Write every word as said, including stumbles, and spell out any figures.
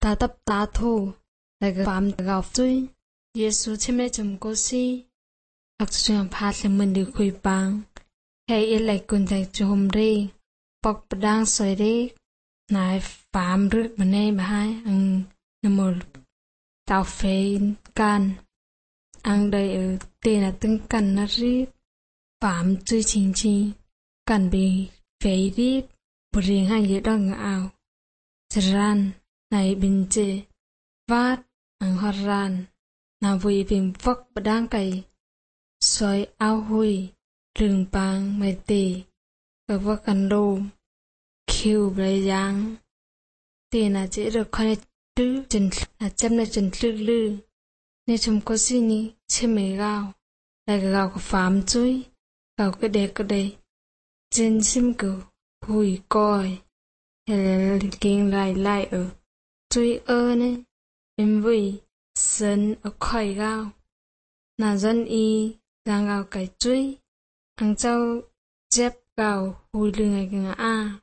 ta tập ta thu lại cái phạm gạo chui Giêsu chém lại chấm cô si học trường phát lên mình được khui bang hay ít lại quân tại chùm đi bọc đang soi đi nãy phạm rước bên này bà hai ăn nằm một tàu phê can ăn đây ở tiền là từng cần nó rít phạm chui chính chi cần bị phê rít bù riêng hai dễ đo ngã ảo ran này bình chê vát ăn hoa ran nào vui bình vóc bà đang cày xoay áo hui rừng bang mây tì các vóc cần đô khiêu bày giang tiền là chỉ được khoai trứ chân là chấm là chân lư lư nên chúng có gì nhỉ chém mấy gạo lại cái gạo của phạm chui gạo cái đẹp cái đây trên sim cử hùi coi hay kinh lại lại ở chui ơ nè em vui sân ở khỏi gạo là dân y giang gạo cái chui hàng châu dép gạo hùi lưng ngày ngã a